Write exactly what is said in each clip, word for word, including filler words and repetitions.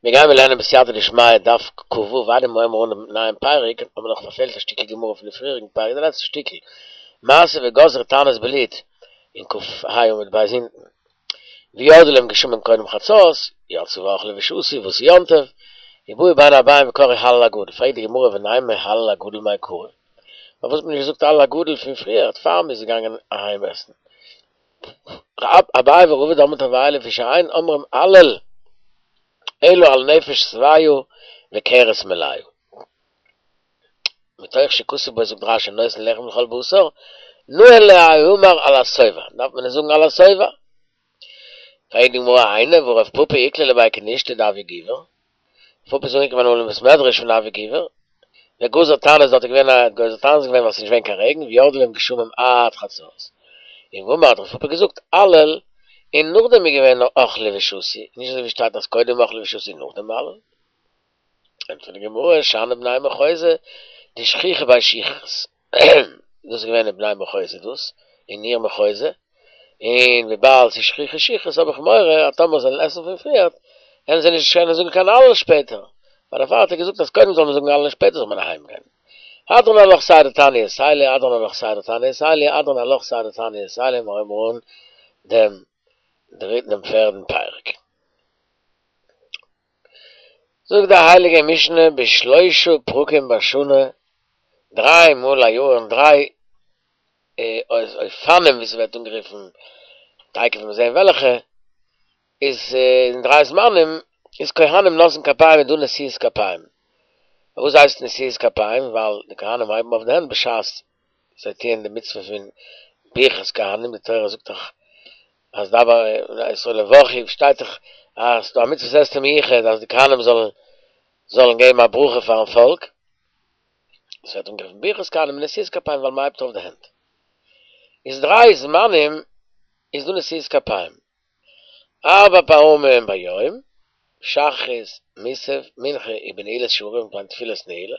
מיר גייען מיר לערנען בסייעתא דשמיא דף כ"ו איידער מיר הייבן אן דעם נייעם פרק, האבן מיר נאך פארפעלט א שטיקל גמרא פון די פריעריגן פרק, די לעצטע שטיקל, מעשה וגזרו תענית בלוד אין כ"ה עמוד ב' אונטן, וירדו להם גשמים קודם חצות, יצאו ואכלו ושתו ועשו יום טוב, ובאו בין הערבים וקראו הלל הגדול, פרעגט די גמרא ונימא הלל הגדול מעיקרא, פארוואס האט מען נישט געזאגט הלל הגדול פון פריער, פאר מ'איז געגאנגען אהיים עסן? אביי ורבא דאמרי תרוייהו לפי שאין אומרים הלל אלא על נפש שבעה וכרס מלאה. מתוך שכתוב בו זאגט רש"י נותן לחם לכל בשר, נאה להיאמר על השובע, דארף מען עס זאגן על השובע. פרעגט די גמרא היינו והא רב פפא איקלע לבי כנישתא דאבי גובר, רב פפא איז אנגעקומען אמאל אין בית מדרש פון אבי גובר, וגזר תענית דארט איז געווען א גוזר תענית געווען ווייל ס'איז נישט געווען קיין רעגן וירדו להם גשמים עד חצות, און ואמר האט רב פפא געזאגט הלל, און נאכדעם איז געווען אכלו ושתו, נישט אזוי ווי שטייט אז קודם אכלו ושתו און נאכדעם הלל. ענטפערט די גמרא, שאני בני מחוזא דשכיחא בהו שכרות, דאס איז געווען אין בני מחוזא דאס, אין עיר מחוזא, און וויבאלד ס'איז שכיחא שכרות האב איך מורא אז טאמער זיי וועלן עסן פון פריערט, וועלן זיי נישט קענען זאגן קיין הלל שפעטער, פאר דערפאר האט ער געזאגט אז קודם זאל מען זאגן הלל און שפעטער זאל מען אהיים גיין. הדרן עלך סדר תעניות אלו, הדרן עלך סדר תעניות אלו, הדרן עלך סדר תעניות אלו, מיר הייבן אן דעם דריטן און פערדן פרק. זאגט די הייליגע משנה בשלושה פרקים בשנה, דריי מאל א יאר אין דריי אופנים ווי ס'ווערט אנגערופן, תיכף וועט מען זען וועלכע, איז אין דריי זמנים איז כהנים נושאין כפיים איז דא נשיאת כפיים. פארוואס הייסט נשיאת כפיים? ווייל די כהנים הייבן אויף די הענט בשעת זיי טוען די מצוה פון ברכת כהנים, די תורה זאגט דאך אז דבר בני ישראל יברכו, שטייט דאך אז ס'דא א מצוות עשה מיוחד אז די כהנים זאלן זאלן געבן א ברכה פארן פאלק, עס ווערט אנגערופן ברכת כהנים און נשיאת כפיים ווייל מ'הייבט אויף די הענט. איז דריי זמנים איז דא נשיאת כפיים, ארבע פעמים ביום, שחרית, מוסף, מנחה ובנעילת שערים ביים תפילת נעילה,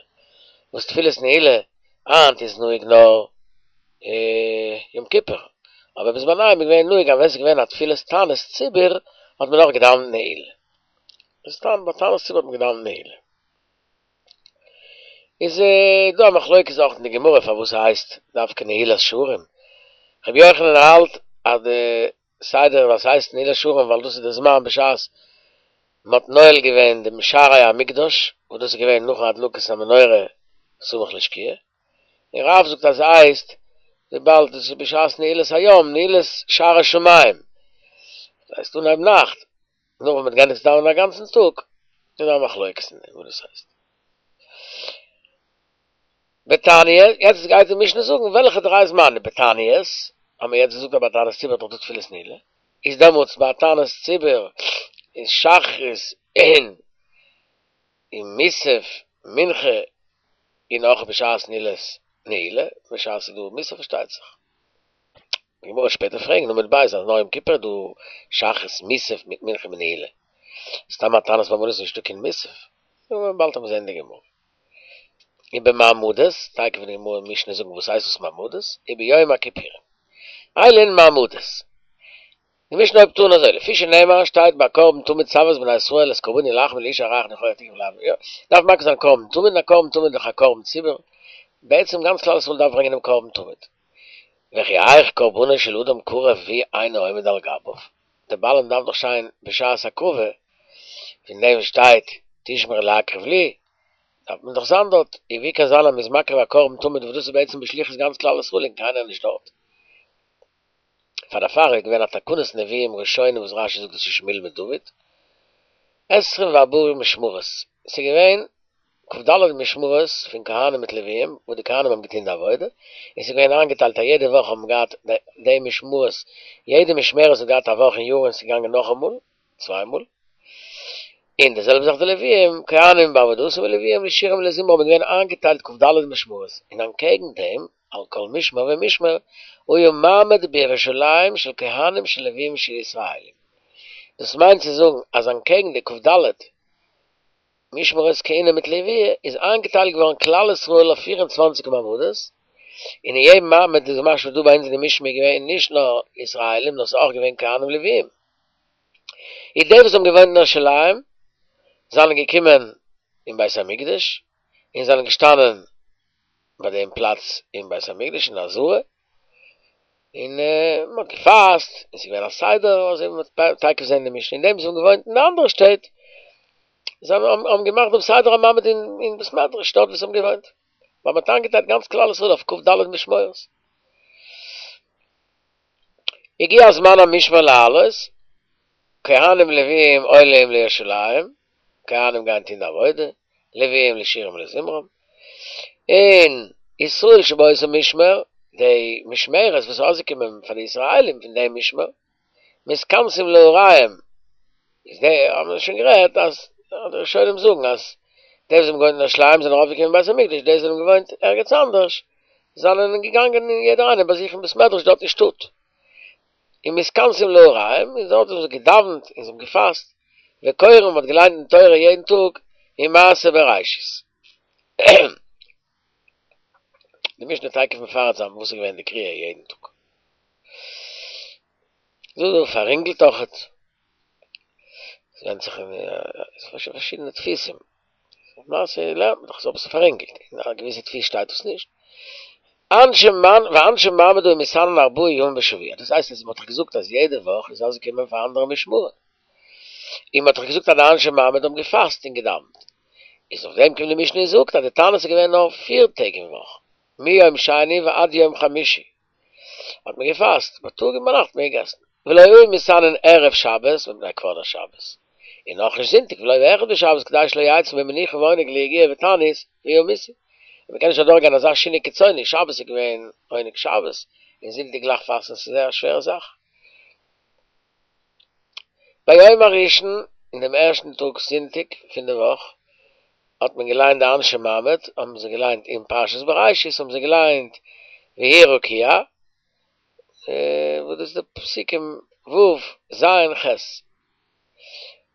וואס תפילת נעילה היינט איז נוהג נאר יום כיפור, אבער בזמניהם איז געווען נוהג אז ווען ס'איז געווען א תפילת תענית ציבור האט מען אויך געדאווענט נעילה, ביי תענית ציבור האט מען געדאווענט נעילה. איז דא א מחלוקת אויך אין די גמרא פארוואס ס'הייסט דווקא נעילת שערים, רבי יוחנן האלט אז די סדר ווייל ס'הייסט נעילת שערים ווייל דאס איז די זמן בשעת מ'האט נועל געווען דעם שערי המקדש וואס דאס איז געווען נאכן הדלקת המנורה סמוך לשקיעה, און רב זאגט אז ס'הייסט וויבאלד דאס איז בשעת נעילת היום נעילת שערי שמים, דאס הייסט אנהייב נאכט, נאך ווען מ'האט געענדיגט צו דאווענען א גאנצן טאג, איז דא א מחלוקת אין דעם וואס דאס הייסט. בתעניות, יעצט גייט די משנה זאגן וועלכע דריי זמנים, בתעניות, האבן מיר יעצט געזאגט אז ביי תענית ציבור איז דאך דא תפילת נעילה, איז דעמאלטס ביי תענית ציבור איז שחרית און און מוסף מנחה און אויך בשעת נעילת נעילה, בשעת ס'איז דא מוסף פארשטייט זיך. די גמרא וועט שפעטער פרעגן עמוד ב' אז נאר יום כיפור איז דא שחרית מוסף מיט מנחה מיט נעילה, סתם א תענית מעמדות איז נישטא קיין מוסף, נו באלד וועט מען זען די גמרא. ובמעמדות, תיכף וועט די גמרא און משנה זאגן וואס הייסט דאס מעמדות, וביום הכיפורים. אלו הן מעמדות. די משנה הויבט אן אזוי, לפי שנאמר שטייט ביי קרבן תמיד צו את בני ישראל את קרבני לחמי לאשה ריח ניחוח תקרב לאדני יא, דארף מקריב זיין קרבן תמיד און א קרבן תמיד איז דאך א קרבן ציבור, בעצם גאנץ כלל ישראל דארף ברענגען דעם קרבן תמיד. וכי היאך קרבנו של אדם קרב והוא אינו עומד על גביו, דער בעלים דארף דאך שטיין בשעת הקרבה, פון דעם שטייט תשמרו להקריב לי, דארף מען דאך זיין דארט, און ווי קען זיין אז מ'איז מקריב א קרבן תמיד וואס דאס איז בעצם בשליחות גאנץ כלל ישראל און קיינער איז נישט דארט. פאר דערפאר איז געווען א תקנת נביאים ראשונים וואס רשי זאגט דאס איז שמואל מיט דוד, עשרים וארבעה משמרות, ס'איז געווען כ"ד משמרות פון כהנים מיט לוויים וואס די כהנים האבן געטון די עבודה, און ס'איז געווען איינגעטיילט א יעדע וואך האבן געהאט די משמרות, יעדע משמרת האט געהאט א וואך אין יאר און ס'איז געגאנגען נאכאמאל, צוויי מאל, און די זעלבע זאך די לוויים, כהנים בעבודתם ולוויים לשירה ולזמרה האבן געווען איינגעטיילט כ"ד משמרות, און אנטקעגן דעם על כל משמר ומשמר היה מעמד בירושלים של כהנים של לוויים של ישראלים. דאס מיינט צו זאגן אז אנטקעגן די כ"ד משמרות כהונה מיט לוויה איז איינגעטיילט געווארן כלל ישראל אויף פֿיר און צוואַנציק מעמדות, און אין יעדן מעמד איז משמע דא ביי אונז אין די משנה געווען נישט נאר ישראלים נאר ס'איז אויך געווען כהנים לוויים. איז די וואס האבן געוואוינט אין ירושלים, זענען געקומען אין בית המקדש און זענען געשטאנען ביי דעם פלאץ אין בית המקדש אין עזרה, און מען האט געפאסט, און ס'איז געווען א סדר, אזוי ווי מ'וועט תיכף זען אין די משנה, און די וואס האבן געוואוינט אין די אנדערע שטעט, זיי האבן געמאכט דעם סדר המעמד אין בית מדרש דארט וואו זיי האבן געוואוינט, ווייל מ'האט איינגעטיילט גאנץ כלל ישראל אויף כ"ד משמרות. הגיע זמן המשמר לעלות, כהנים לוויים עולים לירושלים, כהנים גייען טון די עבודה, לוויים לשירם ולזמרם, און ישראל שבאותו משמר, די משמרת וואס איז אויסגעקומען פאר די ישראלים פון דעם משמר, מתכנסים לעריהם, איז די האבן מיר שוין גערעדט אז די ראשונים זאגן אז די וואס האבן געוואוינט אין ירושלים זענען ארויפגעקומען אין בית המקדש, די וואס האבן געוואוינט ערגעץ אנדערש זענען געגאנגען יעדער איינער ביי זיך אין בית מדרש דארט אין שטאט, און מתכנסים לעריהם, און דארט האבן זיי געדאווענט און זיי האבן געפאסט, וקוראים מ'האט געליינט אין תורה יעדן טאג אין מעשה בראשית. די משנה תיכף מפרט זיין וואס איז געווען די קריאה יעדן טאג. דא דא פאררינגלט אויכעט. עס ווענדט זיך אין פארשידענע דפוסים. למעשה לערנט מען דאך עס אביסל פאררינגלט. אין א געוויסע דפוס שטייט דאס נישט. אנשי מעמד ואנשי מעמד היו מתענין ארבעה ימים בשבוע. דאס הייסט אז מען האט דאך געזאגט אז יעדע וואך איז אויסגעקומען פאר אנדערע משמרים. און מען האט דאך געזאגט אז די אנשי מעמד האבן געפאסט און געדאווענט. איז אויף דעם קומט די משנה און זאגט אז די תענית איז געווען נאר פיר טעג אין וואך, מיום שני ועד יום חמישי האט מען געפאסט, בייטאג און ביינאכט האט מען געגעסן, ולא היו מתענין ערב שבת מפני כבוד השבת, און נאך נישט זונטאג ולא באחד בשבת כדי שלא יצאו ממנוחה ועונג ליגיעה ותענית וימותו, און מען קען נישט אדורך גיין אזא שינוי קיצוני, שבת איז געווען עונג שבת, און זונטאג גלייך פאסטן ס'איז זייער א שווערע זאך. ביום הראשון, אין דעם ערשטן טאג זונטאג פון די וואך, האט מען געליינט די אנשי מעמד, האבן זיי געליינט אין פרשת בראשית האבן זיי געליינט ויהי רקיע, וואס דאס איז די פסוקים ו' ז' ח'.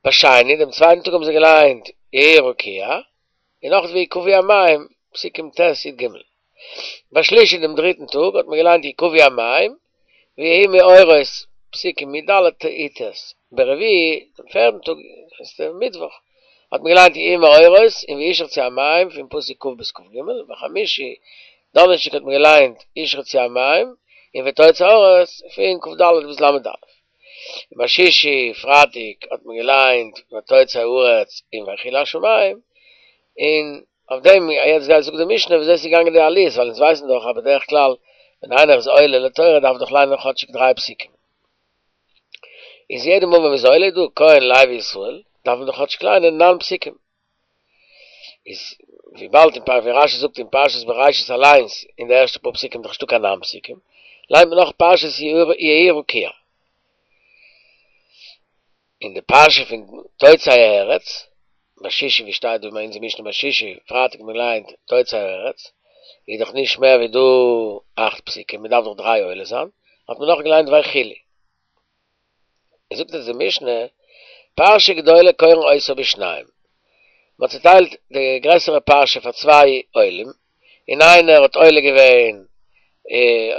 בשני, דעם צווייטן טאג האבן זיי געליינט יהי רקיע, און נאך ויקוו המים, פסוקים ט' י"ג. בשלישי דעם דריטן טאג האט מען געליינט יקוו המים, ויהי מאורות, פסוקים י"ד י"ט. ברביעי, דעם פערטן טאג, דאס איז מיטוואך, האט מען געליינט יהי מאורות און וישרצו המים פון פסוק כ' ביז כ"ג, בחמישי, דאנערשטאג האט מען געליינט ישרצו המים און ותוצא הארץ פון כ"ד ביז ל"א. בשישי, פרייטאג, האט מען געליינט ותוצא הארץ און ויכלו השמים, און אויף דעם יעצט גייט זאגט די משנה וויאזוי ס'איז געגאנגען די עליות, ווייל אונז ווייסן דאך אז בדרך כלל ווען איינער איז עולה לתורה דארף ער דאך ליינען כאטשיג דריי פסוקים. איז יעדע מאל ווען מ'איז עולה דא כהן לוי ישראל דארף מען דאך כאטשיג ליינען נײַן פסוקים. איז וויבאלד אין פר' ווי רשי זאגט אין פרשת בראשית אליינס אין די ערשטע פאר פסוקים איז דאך נישטא קיין נײַן פסוקים, ליינט מען נאך פרשת יהי רקיע. אין די פרשה פון תוצא הארץ, בשישי ווי שטייט דא אין אונזער משנה בשישי, פרייטאג האט מען געליינט תוצא הארץ, איז דאך נישט מער ווי דא אכט פסוקים, מען דארף דאך דריי עולה זיין, האט מען נאך געליינט ויכלו. זאגט אונז די משנה, פרשה גדולה קורין אותה בשניים, מען האט צוטיילט די גרעסערע פרשה פאר צוויי עולים, און איינער האט עולה געווען,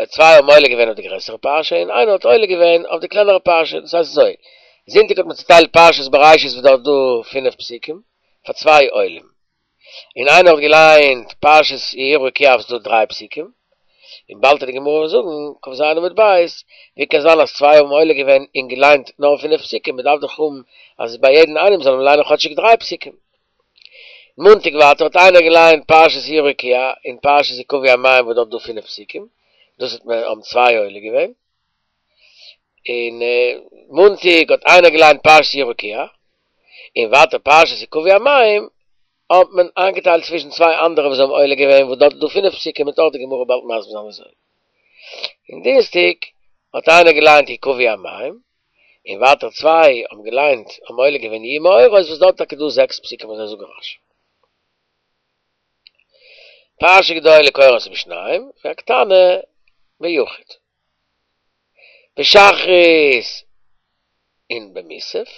צוויי האבן עולה געווען אויף די גרעסערע פרשה, און איינער האט עולה געווען אויף די קלענערע פרשה, דאס הייסט אזוי, זונטאג האט מען צוטיילט פרשת בראשית וואס דארט דא פינף פסוקים, פאר צוויי עולים, און איינער האט געליינט פרשת יהי רקיע וואס איז דא דריי פסוקים, און באלד וועט די גמרא זאגן, כ"ז עמוד ב', ווי קען זיין אז צוויי האבן עולה געווען און געליינט נאר פינף פסוקים, מען דארף דאך האבן אז ביי יעדן איינעם זאל מען ליינען כאטשיג דריי פסוקים. מאנטאג ווייטער האט איינער געליינט פרשת יהי רקיע און פרשת יקוו המים וואס דארט דא פינף פסוקים, דאס האט מען האבן צוויי עולה געווען, און מאנטאג האט איינער געליינט פרשת יהי רקיע, און ווייטער פרשת יקוו המים האט מען איינגעטיילט צווישן צוויי אנדערע וואס האבן עולה געווען וואס דארט איז דא פינף פסוקים וועט אויך די גמרא באלד מסביר זיין וויאזוי. און דינסטאג האט איינער געליינט יקוו המים, און ווייטער צוויי האבן געליינט האבן עולה געווען יהיו מאורות וואס דארט טאקע דא זעקס פסוקים אזוי זאגט רש"י. פרשה גדולה קורין אותה בשניים והקטנה ביחיד. בשחרית און במוסף,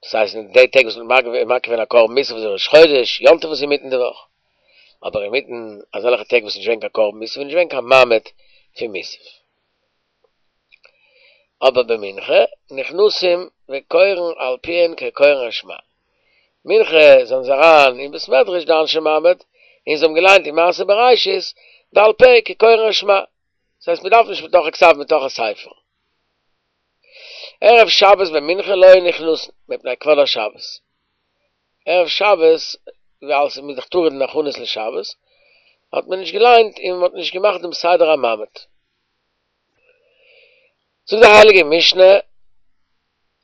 דאס הייסט אין די טעג וואס מ'האט מקריב געווען א קרבן מוסף וואס איז ראש חודש, יום טוב וואס איז אינמיטן די וואך, אבער אינמיטן אזעלכע טעג וואס איז נישט געווען קיין קרבן מוסף איז נישט געווען קיין מעמד פון מוסף. אבער במנחה נכנסים וקורין על פיהן כקורין שמע. מנחה זענען זיי אריין אין בית מדרש די אנשי מעמד, און זיי האבן געליינט אין מעשה בראשית בעל פה כקוראין שמע, דאס הייסט מען דארף נישט מתוך הכתב מתוך הספר. ערב שבת במנחה לא היו נכנסין מפני כבוד השבת. ערב שבת ווייל ס'איז מ'איז דאך טרוד אין הכנות לשבת, האט מען נישט געליינט און מען האט נישט געמאכט דעם סדר המעמד. זאגט די הייליגע משנה,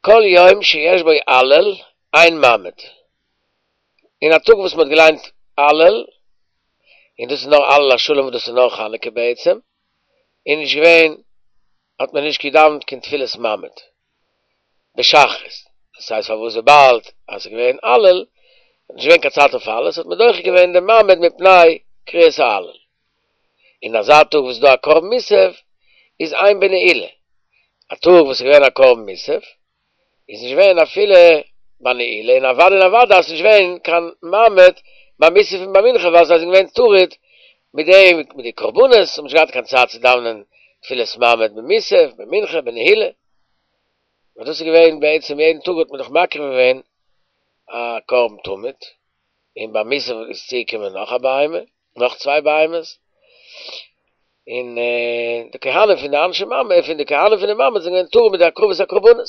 כל יום שיש בו הלל, אין מעמד. אין א טאג וואס מען האט געליינט הלל, און דאס איז נאר הלל השלם וואס דאס איז נאר חנוכה בעצם, איז נישט געווען, האט מען נישט געדאווענט קיין תפילת מעמד בשחרית, דאס הייסט פארוואס וויבאלד אז ס'איז געווען הלל, איז נישט געווען קיין צייט אויף הלל, האט מען דוחה געווען דעם מעמד מפני קריאת ההלל. אין אזא טאג וואס איז דא א קרבן מוסף, איז אין בנעילה. א טאג וואס איז געווען א קרבן מוסף, איז נישט געווען אפילו ביי נעילה, און אוודאי און אוודאי אז ס'איז נישט געווען קיין מעמד ביי מוסף און ביי מנחה ווייל זיי זענען געווען טרוד מיט דעם מיט די קרבנות, האבן נישט געהאט קיין צייט צו דאווענען תפילת מעמד במוסף, במנחה, בנעילה. און דאס איז געווען בעצם יעדן טאג האט מען דאך מקריב געווען א קרבן תמיד, און ביי מוסף איז צוגעקומען נאך א בהמה, נאך צוויי בהמות, און די כהנים פון די אנשי מעמד, פון די כהנים פון די מעמד זענען געווען טרוד מיט די הקרבת הקרבנות,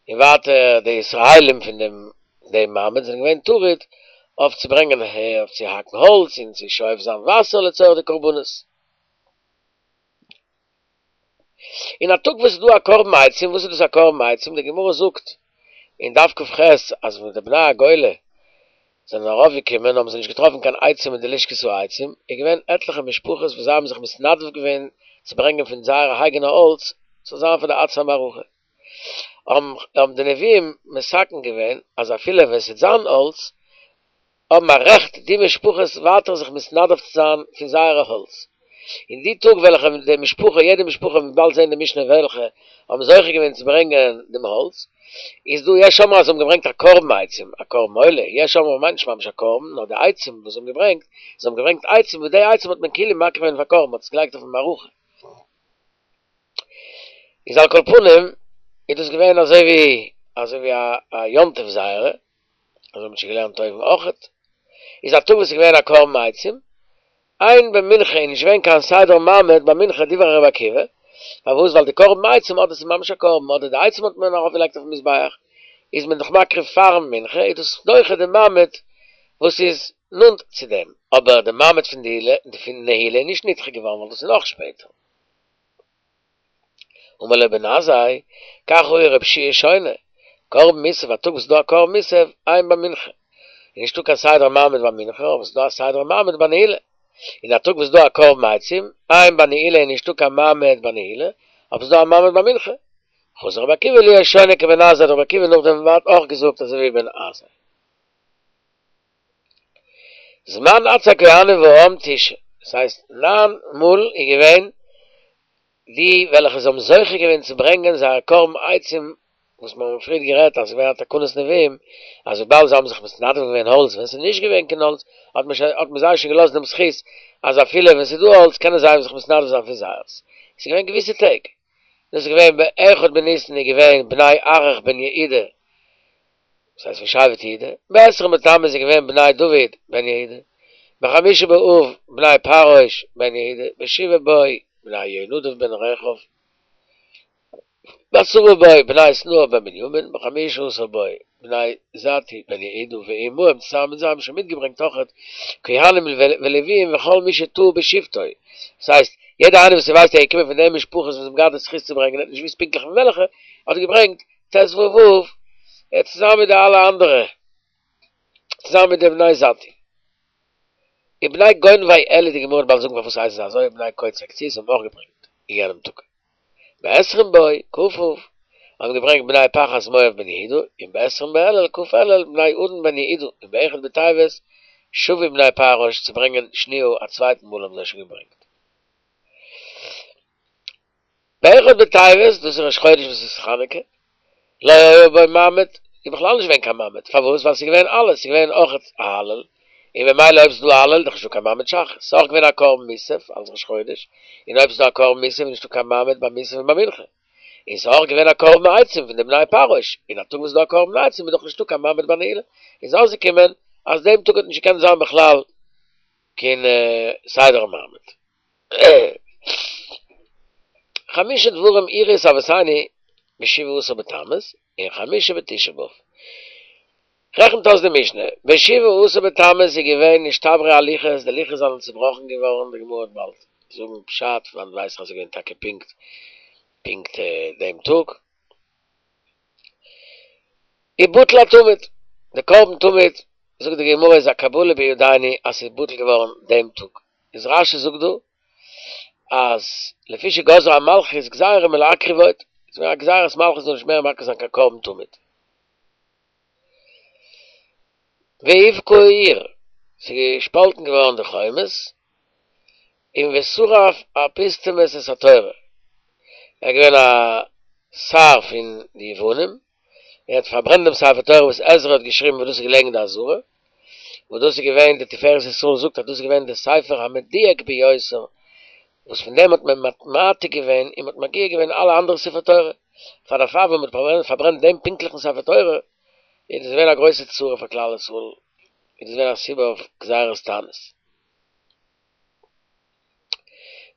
און ווייטער די ישראלים פון דעם דעם מעמד זענען געווען טרוד אויף צו ברענגען אויף צו האקן האלץ און צו שואב זיין וואסער לצורך די קרבנות. אין א טאג וואס איז דא א קרבן עצים, וואס איז דאס א קרבן עצים? די גמרא זאגט אין דף כ"ח אז ווען די בני הגולה זענען ארויפגעקומען האבן זיי נישט געטראפן קיין עצים אין די לשכת העצים, איז געווען עטליכע משפחות וואס זיי האבן זיך מתנדב געווען צו ברענגען פון זייערע אייגענע האלץ ס'זאל זיין פאר די עצי המערכה. האבן די נביאים מתקן געווען אז אפילו ווען ס'וועט זיין האלץ, האבן א רעכט די משפחות ווייטער זיך מתנדב צו זיין פון זייערע האלץ. אין די טאג וועלכע די משפחה, יעדע משפחה, מ'וועט באלד זען די משנה וועלכע, האבן זוכה געווען צו ברענגען דעם האלץ, איז דא יש אומרים אז זיי האבן געברענגט א קרבן עצים, א קרבן עולה, יש אומרים מיינט נישט ממש א קרבן, נאר די עצים וואס זיי האבן געברענגט, זיי האבן געברענגט עצים וואס די עצים האט מען כאילו מקריב געווען פאר קרבן, מ'האט עס געלייגט אויפן מערכה. איז על כל פנים איז דאס געווען אזוי ווי אזוי ווי א יום טוב זייערע, אזוי האט מען שוין געלערנט אויבן אויכעט, איז א טאג וואס איז געווען א קרבן עצים, אין במנחה איז נישט געווען קיין סדר מעמד ביי מנחה דברי רבי עקיבא, פארוואס ווייל די קרבן עצים אדער ס'איז ממש א קרבן אדער די עצים האט מען ארויף געלייגט אויפן מזבח איז מען דאך מקריב פארן מנחה איז דאס דוחה די מעמד וואס איז נאנט צו דעם, אבער די מעמד פון די פון נעילה איז נישט נדחה געווארן ווייל דאס איז נאך שפעטער. אמר לו בן עזאי, כך היה רב שיע שונה, קרבן מוסף, א טאג וואס איז דא א קרבן מוסף, אין במנחה. איז נישטא קיין סדר מעמד ביי מנחה, אבער ס'איז דא א סדר מעמד ביי נעילה. און א טאג וואס איז דא א קרבן עצים, אין בנעילה איז נישטא קיין מעמד ביי נעילה, אבער ס'איז דא א מעמד ביי מנחה. חזר רבי עקיבא להיות שונה כבן עזאי, האט רבי עקיבא נאכדעם אויך געזאגט אזוי ווי בן עזאי. זמן עצי הכהנים והעם תשעה, דאס הייסט נײַן מאל איז געווען די וועלכע זיי האבן זוכה געווען צו ברענגען זייער קרבן עצים, וואס מיר האבן פריער גערעדט אז עס איז געווען א תקנת נביאים, אז וויבאלד זיי האבן זיך מתנדב געווען האלץ ווען עס איז נישט געווען קיין האלץ, האט מען האט מען זיי שוין געלאזט דעם זכות אז אפילו ווען עס איז דא האלץ קענען זיי זיך מתנדב זיין פון זייערס. עס איז געווען געוויסע טעג. דאס איז געווען באחד בניסן איז געווען בני ארח בן יהודה, דאס הייסט פון שבט יהודה, בעשרים בתמוז איז געווען בני דוד בן יהודה, בחמישה באב בני פרעוש בן יהודה, בשבעה בו בני יהונדב בן רכב, בעשרה בו בני שנואה בן בנימין, בחמישה עשר בו בני זתוא בן יהודה ועמהם צוזאמען מיט זיי האבן שוין מיטגעברענגט אויכעט כהנים ולוויים וכל מי שטעה בשבטו, דאס הייסט יעדער איינער וואס ער ווייסט ער איז געקומען פון די משפחות וואס האבן געהאט די זכות צו ברענגען ער האט נישט געוואוסט פונקטליך פון וועלכע, האט ער געברענגט ט"ו אב צוזאמען מיט די אלע אנדערע, צוזאמען מיט די בני זתוא. ובני גונבי עלי די גמרא וועט באלד זאגן פארוואס הייסן זיי אזוי ובני קוצי קציעות האבן אויך געברענגט אין יענעם טאג. בעשרים בו, כ' אב, האבן געברענגט בני פחת מואב בן יהודה, און בעשרים באלול, כ' אלול, בני עדן בן יהודה, און באחד בטבת, שבו בני פרעוש צו ברענגען שניה א צווייטן מאל האבן זיי שוין געברענגט. באחד בטבת, דאס איז ראש חודש וואס איז חנוכה, לא היה בו מעמד, איז בכלל נישט געווען קיין מעמד, פארוואס? ווייל ס'איז געווען אלעס, ס'איז געווען אויך א הלל, און ממילא אויב ס'איז דא הלל איז דאך נישטא קיין מעמד שחרית, ס'איז אויך געווען א קרבן מוסף אלס ראש חודש, און אויב ס'איז דא א קרבן מוסף איז נישטא קיין מעמד ביי מוסף און ביי מנחה. און ס'איז אויך געווען א קרבן עצים פון די בני פרעוש, און א טאג וואס איז דא א קרבן עצים איז דאך נישטא קיין מעמד ביי נעילה, איז אויסגעקומען אז דעם טאג האט נישט געקענט זיין בכלל קיין סדר מעמד. חמשה דברים אירעו את אבותינו בשבעה עשר בתמוז, און חמשה בתשעה באב. רעכנט אויס די משנה, בשבעה עשר בתמוז איז געווען נשתברו הלוחות, די לוחות זענען צובראכן געווארן, די גמרא וועט באלד זאגן פשט, פון וואנעט ווייס איך אז ס'איז געווען טאקע פונקט פונקט דעם טאג. ובטל התמיד, די קרבן תמיד, זאגט די גמרא איז א קבלה בידינו אז ס'איז בטל געווארן דעם טאג, איז רשי זאגט דא אז לפי שגזרה המלכות גזירה מלהקריב עוד, ס'איז געווען א גזירת מלכות זאל נישט מער מקריב זיין קיין קרבן תמיד. והובקעה העיר, ס'איז געשפאלטן געווארן די חומות, און ושרף אפוסטמוס את התורה, ער איז געווען א שר פון די יוונים, ער האט פארברענט דעם ספר תורה וואס עזרא האט געשריבן וואס דאס איז געלעגן אין די עזרה, וואס דאס איז געווען, די תפארת ישראל זאגט אז דאס איז געווען די ספר המדויק ביותר, וואס פון דעם האט מען מעתיק געווען און מען האט מגיה געווען אלע אנדערע ספרי תורה, פאר דערפאר ווען מען האט פארברענט דעם פונקטליכן ספר תורה, איז דאס געווען א גרויסע צרה פאר כלל ישראל, איז דאס געווען א סיבה אויף גזירת תענית.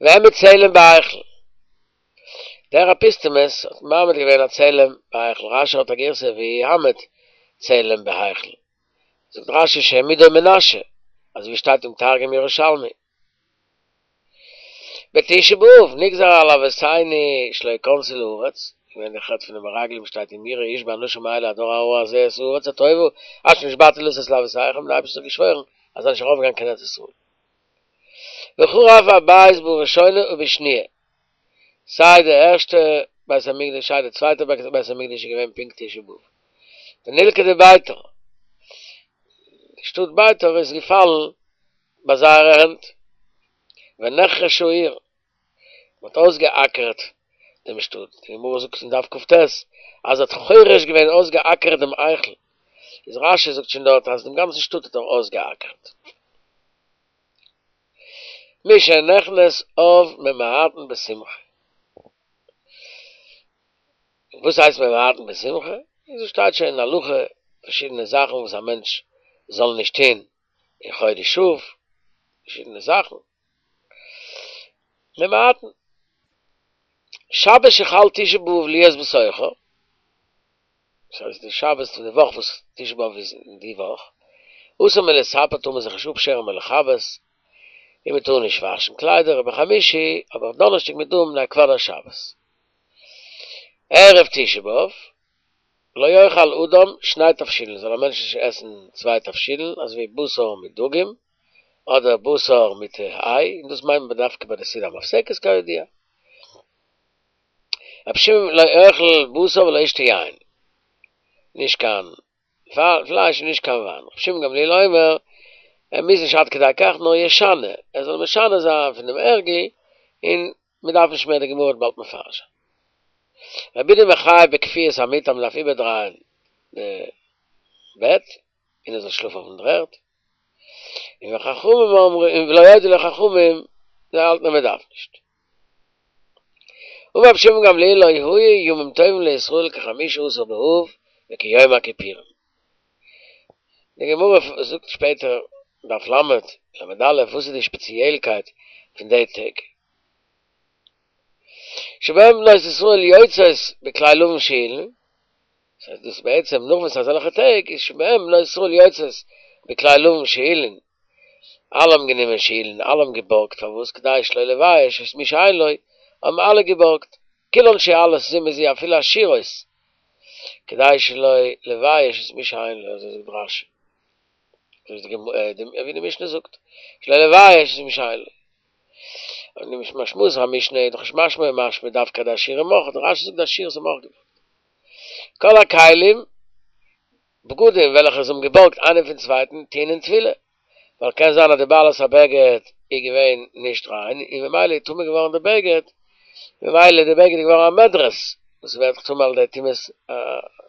והעמיד צלם בהיכל. דער אפוסטמוס האט מעמיד געווען א צלם בהיכל, רשי האט א גירסא והעמיד צלם בהיכל, זאגט רשי שהעמידו מנשה, אזוי ווי שטייט אין תרגום ירושלמי. בתשעה באב נגזר על אבותינו שלא יכנסו לארץ, געווען די חטא פון די מרגלים שטייט אם יראה איש באנשים האלה הדור הרע הזה את הארץ הטובה אשר נשבעתי לתת לאבותיכם, די אייבערשטער האט געשוואוירן אז זיי זאלן נישט ארויפגיין קיין ארץ ישראל. וחרב הבית בראשונה ובשניה, סיי די ערשטע בית המקדש סיי די צווייטע בית המקדש איז געווען פונקט תשעה באב. ונלכדה ביתר, די שטאט ביתר איז געפאלן ביי זייערע הענט. ונחרשה העיר, מען האט אויסגעאקערט דעם שטאט, די גמרא זאגט אין דף כ"ט אז ער האט חורש געווען אויסגעאקערט דעם היכל, איז רשי זאגט שוין דארט אז דעם גאנצן שטאט האט ער אויסגעאקערט. משנכנס אב ממעטין בשמחה. וואס הייסט ממעטין בשמחה? אזוי שטייט שוין אין הלכה פארשידענע זאכן וואס א מענטש זאל נישט טון אין חודש אב, פארשידענע זאכן. ממעטין. שבת שחל תשעה באב להיות בתוכה, דאס הייסט די שבת פון די וואך וואס תשעה באב איז אין די וואך, אסור מלספר טאר מען זיך נישט אפשערן מלכבס, און מען טאר נישט וואשן קליידער, ובחמישי, אבער אויף דאנערשטאג מפני כבוד השבת. ערב תשעה באב, לא יאכל אדם שני תבשילין, זאל א מענטש נישט עסן צוויי תבשילין, אזוי ווי בשר מיט דגים, אדער בשר מיט איי, און דאס מיינט מען דווקא ביי די סעודה המפסקת כידוע. רבי שמעון לא יאכל בשר ולא ישתה יין, נישט קיין פלייש און נישט קיין וויין. רבי שמעון גמליאל אומר, ער מוז נישט עד כדי כך, נאר ישנה, ער זאל משנה זיין פון דעם הרגל, און מען דארף נישט מער, די גמרא וועט באלד מפרש זיין. רבי יהודה מחייב בכפיית המיטה, מען דארף איבערדרייען די בעט, און ער זאל שלאפן אויפן דר'ערד. און וחכמים אומרים, ולא הודו לו חכמים, זיי האלטן אז מען דארף נישט. אמר רבי שמעון גמליאל לא היו ימים טובים לישראל כחמישה עשר באב וכיום הכיפורים. די גמרא זאגט שפעטער, דף ל', ל"א, וואס איז די שפעציעלקייט פון די טעג? שבהם בנות ישראל יוצאות בכלי לבן שאולין, דאס הייסט דאס בעצם נאך וואס אזעלכע טעג איז שבהם בנות ישראל יוצאות בכלי לבן שאולין, אלע האבן גענומען שאולין, אלע האבן געבארגט, פארוואס כדי שלא לבייש את מי שאין לו, האבן אלע געבארגט, כולן שואלות זו מזו אפילו עשירות, כדי שלא לבייש את מי שאין לו, אזוי זאגט רשי, אזוי ווי די משנה זאגט, שלא לבייש את מי שאין לו. און די משמעות המשנה איז דאך נישט משמע משמע דווקא די עשירים אויך, דער רשי זאגט די עשירות האבן אויך געבארגט. כל הכלים, בגדים וועלכע זיי האבן געבארגט איינער פון צווייטן טעונין טבילה, ווייל קען זיין אז די בעלת הבגד איז געווען נישט ריין און ממילא איז טמא געווארן די בגד, ממילא די בגד איז געווארן א מדרס, וואס ווערט דאך טמא על ידי טומאת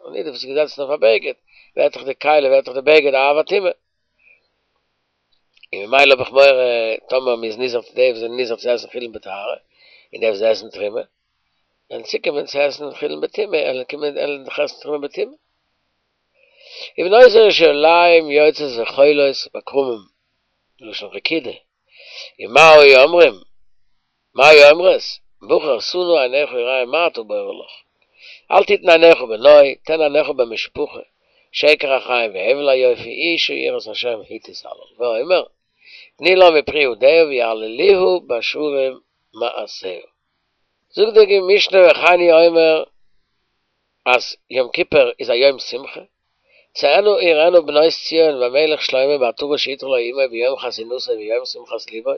הנידה וואס איז געזעצן אויף א בגד, ווערט דאך די כלי ווערט דאך די בגד א אב הטומאה. און ממילא האב איך מורא טאמער מ'איז נזהר צו די וואס זענען נזהר צו עסן חולין בטהרה, און די וואס עסן תרומה, וועלן צוקומען צו עסן חולין בטומאה, וועלן קומען וועלן דאך עסן תרומה בטומאה. ובנות ירושלים יוצאות וחולות בכרמים, מלשון רקידה, ומה היו אומרים? מה היו אומרות? בחור שא נא עיניך וראה מה אתה בורר לך. אל תתן עיניך בנוי, תן עיניך במשפחה, שקר החיים והבל היופי, אשה יראת השם היא תתהלל. ואומר, תני לה מפרי ידיה ויהללוה בשערים מעשיה. זאגט די משנה וכן הוא אומר אז יום כיפור איז א יום שמחה, צאינה וראינה בנות ציון במלך שלמה בעטרה שעטרה לו אמו ביום חתונתו וביום שמחת לבו,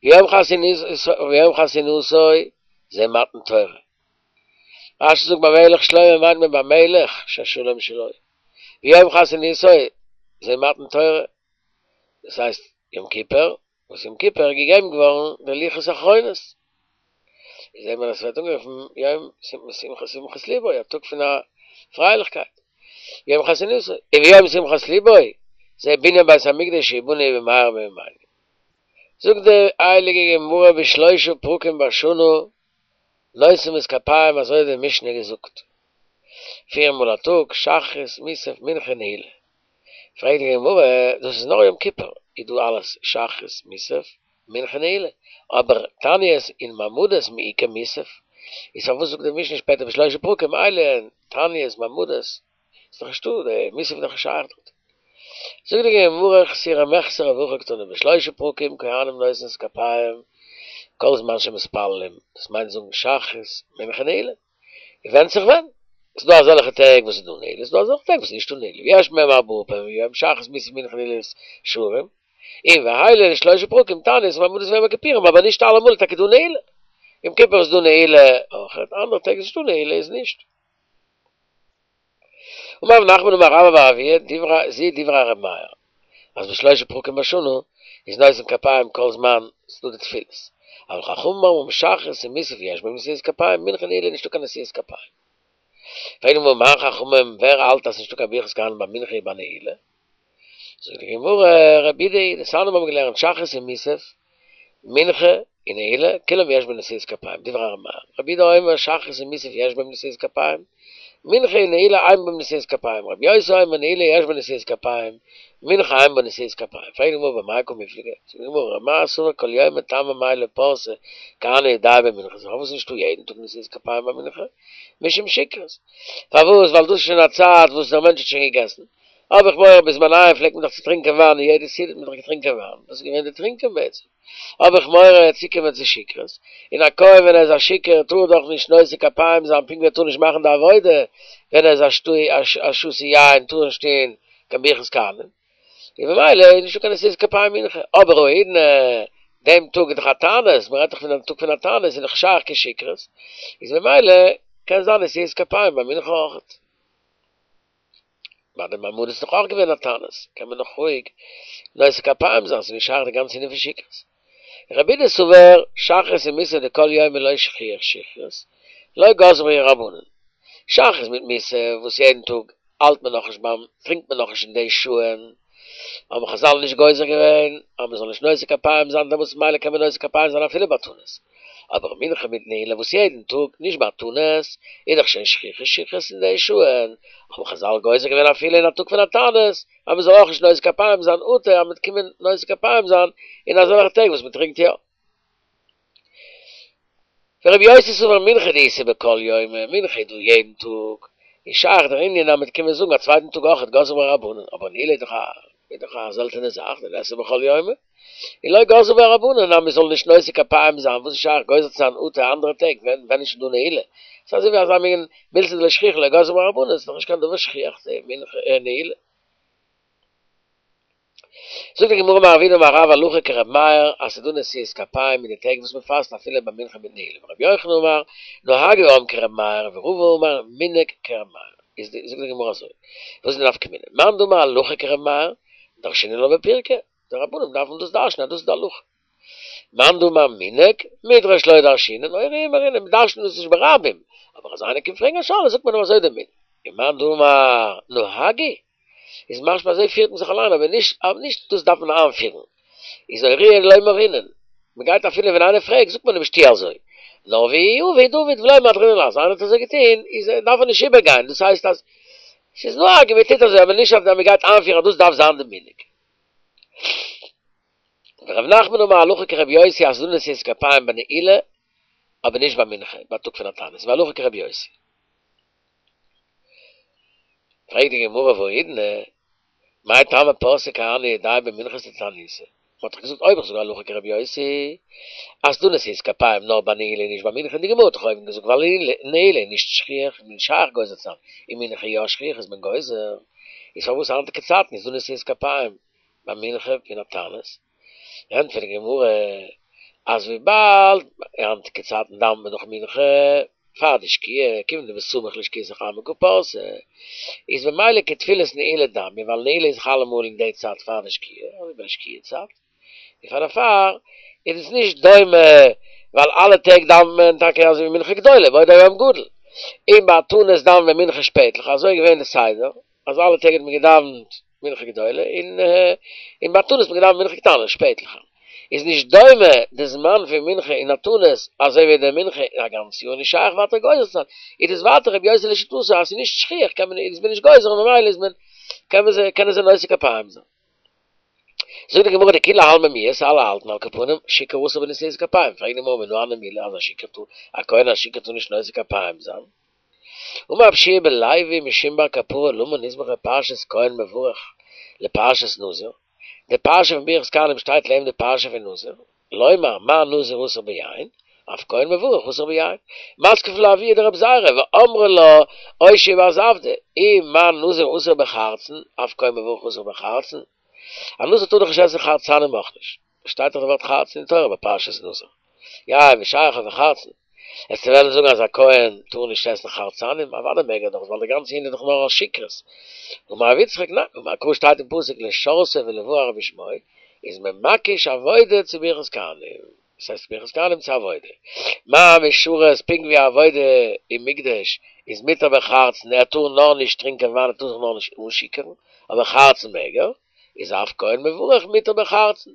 ביום חתונתו זה מתן תורה. רשי זאגט במלך שלמה מיינט מען במלך שהשלום שלו. ביום חתונתו זה מתן תורה, דאס הייסט יום כיפור, וואס יום כיפור איז געגעבן געווארן די לוחות האחרונות. איז זעט מען אז ס'ווערט אנגערופן יום שמחת שמחת לבו, א טאג פון א פרייליכקייט. יום חתונתו, און יום שמחת לבו, זה בנין בית המקדש שיבנה במהרה בימינו. זאגט די הייליגע גמרא בשלושה פרקים בשנה נושאים את כפיהם אזוי האט די משנה געזאגט פיר מאל א טאג שחרית מוסף מנחה נעילה. פרעגט די גמרא דאס איז נאר יום כיפור איז דא אלעס שחרית מוסף מנחה נעילה אבער תעניות און מעמדות מי איכא מוסף איז פארוואס זאגט די משנה שפעטער בשלושה פרקים אלו הן תעניות מעמדות איז דאך נישטא די מוסף איז דאך נישט שייך דארט. זאגט די גמרא חסורי מחסרא והכי קתני בשלושה פרקים כהנים נושאים את כפיהם כל זמן שמתפללים, דאס מיינט זאגן שחרית מנחה נעילה, און ווענדט זיך ווען, ס'איז דא אזעלכע טעג וואס איז דא נעילה, ס'איז דא אזעלכע טעג וואס איז נישטא נעילה, ויש בהם ארבעה פעמים ביום שחרית מוסף מנחה נעילת שערים, און ואלו הן שלושה פרקים תענית ומעמדות ויום הכיפורים, אבער נישט אלעמאל איז טאקע דא נעילה, יום כיפור איז דא נעילה אויכעט, אנדערע טעג איז נישטא נעילה איז נישט. אמר רב נחמן אמר רבה בר אבוה, דברי זו דברי ר' מאיר, אז בשלושה פרקים בשנה איז נושאים כפיים כל זמן ס'דא די תפילות, אבל חכמים אומרים שחרית ומוסף יש בהם נשיאת כפיים, מנחה נעילה נישטא קיין נשיאת כפיים. פרעגט די גמרא מאן חכמים ווער האלט אז ס'נישטא קיין ברכת כהנים ביי מנחה און ביי נעילה? זאגט די גמרא רבי יהודה היא, דתניא מיר האבן געלערנט שחרית און מוסף, מנחה און נעילה, כולם יש בהם נשיאת כפיים, דברי ר' מאיר, רבי יהודה אומר שחרית ומוסף יש בהם נשיאת כפיים, מנחה און נעילה אין בהם נשיאת כפיים, רבי יוסי אומר נעילה יש בה נשיאת כפיים, מנחה אין בה נשיאת כפיים, פרעגט די גמרא במאי קא מיפלגי, זאגט די גמרא ר' מאיר סבר כל יומא טעמא מאי לא פרסי כהני ידייהו במנחה, פארוואס איז נישטא יעדן טאג נשיאת כפיים ביי מנחה? משום שכרות, פארוואס ווייל דאס איז שוין א צייט וואס דער מענטש האט שוין געגעסן, האב איך מורא בזמניהם פלעגט מען דאך צו טרינקען וויין און יעדע סעודה האט מען דאך געטרינקען וויין, דאס איז געווען די טרינקען בעצם, האב איך מורא צוקומען צו שכרות, און א כהן ווען ער איז א שיכור טאר ער דאך נישט נושא כפיים זיין פונקט ווי ער טאר נישט מאכן די עבודה ווען ער איז א שתוי יין טאר ער נישט טון קיין ברכת כהנים, און ממילא איז נישטא קיין נשיאת כפיים מנחה, אבער האידנא דעם טאג איז דאך א תענית, מען רעדט דאך פון דעם טאג פון א תענית איז דאך שייך קיין שכרות, איז ממילא קען זיין נשיאת כפיים ביי מנחה אויכעט. ביי די מעמדות איז דאך אויך געווען א תענית, קען מען נאך רואיג נושא כפיים זיין, ס'איז נישט שייך די גאנצע ענין פון שכרות. רבי יהודה סבר, שחרית ומוסף דכל יומא לא שכיח שכרות, לא גזרו בהו רבנן. שחרית מיט מוסף וואס יעדן טאג האלט מען נאכנישט ביים, טרינקט מען נאכנישט אין די שעה'ן, האבן חזל נישט גוזר געווען אז מ'זאל נישט נושא כפיים זיין דעמאלטס ממילא קען מען נושא כפיים זיין אפילו בתענית. אבער מנחה מיט נעילה וואס יעדן טאג, נישט בתענית, איז דאך שוין שכיח שכרות אין די שעה'ן, האבן חזל גוזר געווען אפילו אין א טאג פון א תענית, אז מ'זאל אויך נישט נושא כפיים זיין אטו אז מ'וועט קומען נושא כפיים זיין אין אזעלכע טעג וואס מ'טרינקט יא. ורבי יוסי סבר מנחה דאיתא בכל יומא, מנחה איז דא יעדן טאג, איז שייך דער ענין אז מ'וועט קומען זאגן א צווייטן טאג אויך גזרו בה רבנן, אבער נעילה איז דאך א איז דאך א זעלטענע זאך, דליתא בכל יומא, און לא גזרו בה רבנן אז מ'זאל נישט נושא כפיים זיין, וואס איז שייך גוזר צו זיין אטו אנדערע טעג ווען ווען איז שוין דא נעילה? ס'איז אזוי ווי אזא מין מילתא דלא שכיחא לא גזרו בה רבנן, ס'איז דאך נישט קיין דבר שכיח די מנחה נעילה. זאגט די גמרא אמר רב יהודה אמר רב הלכה כר' מאיר אז ס'איז דא נשיאת כפיים אין די טעג וואס מ'פאסט אפילו ביי מנחה מיט נעילה ור' יוחנן אמר נהגו העם כר' מאיר ורבא אמר מנהג כר' מאיר איז די זאגט די גמרא אזוי וואס איז די נפקא מינה מאן דאמר הלכה כר' מאיר דרשינן לה בפירקא די רבנים דארפן דאס דרש'נען אז דאס איז די הלכה מאן דאמר מנהג מדרש לא דרשינן אורייי מרינן מ'דרש'נט דאס נישט ברבים אבער אז איינער קומט פרעגן א שאלה זאגט מען אים אזוי די מנהג און מאן דאמר נהגו איז משמע אזוי פירט מען זיך אליין אבער נישט אבער נישט דאס דארף מען איינפירן איז אורייי לא מרינן מען גייט אפילו ווען איינער פרעגט זאגט מען אים נישט טו אזוי נאר ווי עביד עביד ולא מהדרינן אז איינער האט אזוי געטון איז דארף ער נישט איבערגיין, דאס הייסט אז ס'איז נוהג און מ'טוט אזוי אבער נישט אז מ'גייט איינפירן אז דאס דארף זיין די מנהג. ורב נחמן אמר הלכה כרבי יוסי אז ס'דא נשיאת כפיים ביי נעילה אבער נישט ביי מנחה ביי טאג פון א תענית, והלכה כרבי יוסי. פרעגט די גמרא והאידנא, מאי טעמא פרשי כהני ידייהו במנחתא דתעניתא? מ'האט דאך געזאגט אויב איך זאג הלכה כרבי יוסי אז ס'דא נשיאת כפיים נאר ביי נעילה און נישט ביי מנחה, די גמרא האט דאך אויבן געזאגט ווייל נעילה איז נישט שכיח איז נישט שייך גוזר צו זיין, און מנחה יא שכיח איז מען גוזר, איז פארוואס היינטיגע צייטן איז דא נשיאת כפיים ביי מנחה פון א תענית? ענטפערט די גמרא אז וויבאלד היינטיגע צייטן דאווענט מען דאך מנחה פאר די שקיעה, כיון דבסמוך לשקיעת החמה קא פרסי, איז ממילא כתפילת נעילה דמיא, ווייל נעילה איז דאך אלעמאל אין די צייט פאר די שקיעה, אזוי ביי די שקיעה צייט, און פאר דערפאר איז עס נישט דומה, ווייל אלע טעג דאווענט מען טאקע אזוי ווי מנחה גדולה, באותו יום גדול, און ביי א תענית דאווענט מען מנחה שפעטליך, אזוי איז געווען די סדר, אז אלע טעג האט מען געדאווענט מנחה גדולה, און און ביי א תענית האט מען געדאווענט מנחה קטנה שפעטליכער. איז נישט דומה די זמן פון מנחה אין א תענית אזוי ווי די מנחה אין א גאנץ יאר נישט שייך ווייטער גוזר צו זיין, איז דאס ווייטער רבי יוסי לשיטתו אז ס'איז נישט שכיח קען מען איז מען נישט גוזר און ממילא איז מען קען מען זיי קענען זיי נושא כפיים זיין. זאגט די גמרא דכולי עלמא מיהת אלע האלטן על כל פנים שיכור אסור בנשיאת כפיים, פרעגט די גמרא מנא הני מילי אז א שיכור טאר א כהן א שיכור טאר נישט נושא כפיים זיין? אמר רבי יהושע בן לוי משום בר קפרא למה נסמכה פרשת כהן מברך לפרשת נזיר, די פרשה פון ברכת כהנים שטייט לעבן די פרשה פון נזיר, לומר מה נזיר אסור ביין, אף כהן מברך אסור ביין, מתקיף לה אבוה דרבי זירא ואמרי לה אושעיא בר זבדא, אי מה נזיר אסור בחרצן, אף כהן מברך אסור בחרצן, א נזיר טאר דאך נישט עסן חרצנים אויך נישט, שטייט דאך די ווארט חרצן אין תורה ביי פרשת נזיר, יין ושכר וחרצן. וועסטו וועלן זאגן אז א כהן טאר נישט עסן חרצנים? אוודאי מעג ער דאך, ווייל די גאנצע ענין איז דאך נאר א שיכרות. אמר רב יצחק, ניין, אמר קרא שטייט אין פסוק לשרתו ולברך בשמו, איז מען מקיש עבודה צו ברכת כהנים, דאס הייסט ברכת כהנים צו עבודה. מה משרת, פונקט ווי עבודה אין מקדש איז מותר בחרצן, ער טאר נאר נישט טרינקען וויין, ער טאר זיך נאר נישט אנשיכור'ן, אבער חרצן מעג ער, איז אף כהן מברך מותר בחרצן.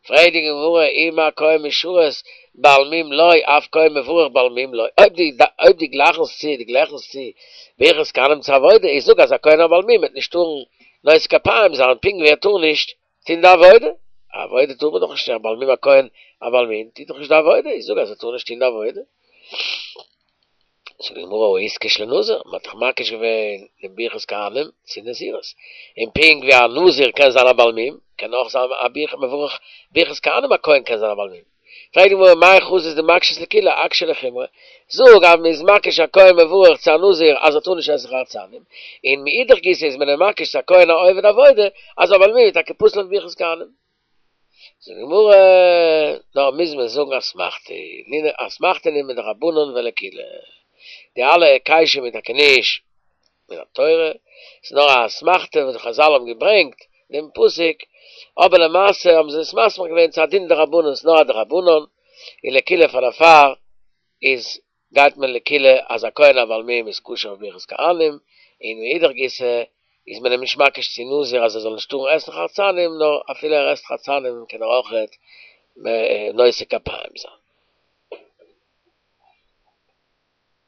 פרעגט די גמרא אי מה כהן משרת בעל מום לא אף כהן מברך בעל מום לא, אויב דו אויב דו גלייכנסט צו דו גלייכנסט צו ברכת כהנים צו עבודה, איז זאג אז א כהן א בעל מום וועט נישט טארן נושא כפיים זיין פונקט ווי ער טאר נישט טון די עבודה, עבודה טאר מען דאך נישט א בעל מום א כהן א בעל מום טוט דאך נישט די עבודה, איז זאג אז ער טאר נישט טון די עבודה. זאגט די גמרא הא איתקש לנזיר, מען האט דאך מקיש געווען דעם ברכת כהנים צו נזירות, און פונקט ווי א נזיר קען זיין א בעל מום, קען אויך זיין א ברכת מברך ברכת כהנים א כהן קען זיין א בעל מום. פרעגט די גמרא מאי חזית דמקשת לקולא אקשיה לחומרא, זאג אז מען איז מקיש א כהן מברך צו א נזיר אז ער טאר נישט עסן חרצנים, און מאידך גיסא איז מען אים מקיש צו א כהן א עובד עבודה אז א בעל מום איז טאקע פסול אויף ברכת כהנים. זאגט די גמרא, נאר מוז מען זאגן אסמכתא, אסמכתא נינהו מדרבנן ולקולא, די אלע היקשים איז טאקע נישט מן התורה, ס'איז נאר א אסמכתא וואס די חזל האבן געברענגט דעם פסוק, אבער למעשה האבן זיי עס מסמיך געווען צו א דין דרבנן, ס'איז נאר א דרבנן, און לקולא פאר דערפאר איז גייט מען לקולא אז א כהן א בעל מום איז כשר אויף ברכת כהנים, און מאידך גיסא איז מען אים נישט מקיש צו נזיר אז ער זאל נישט טארן עסן חרצנים, נאר אפילו ער עסט חרצנים קען ער אויכעט נושא כפיים זיין.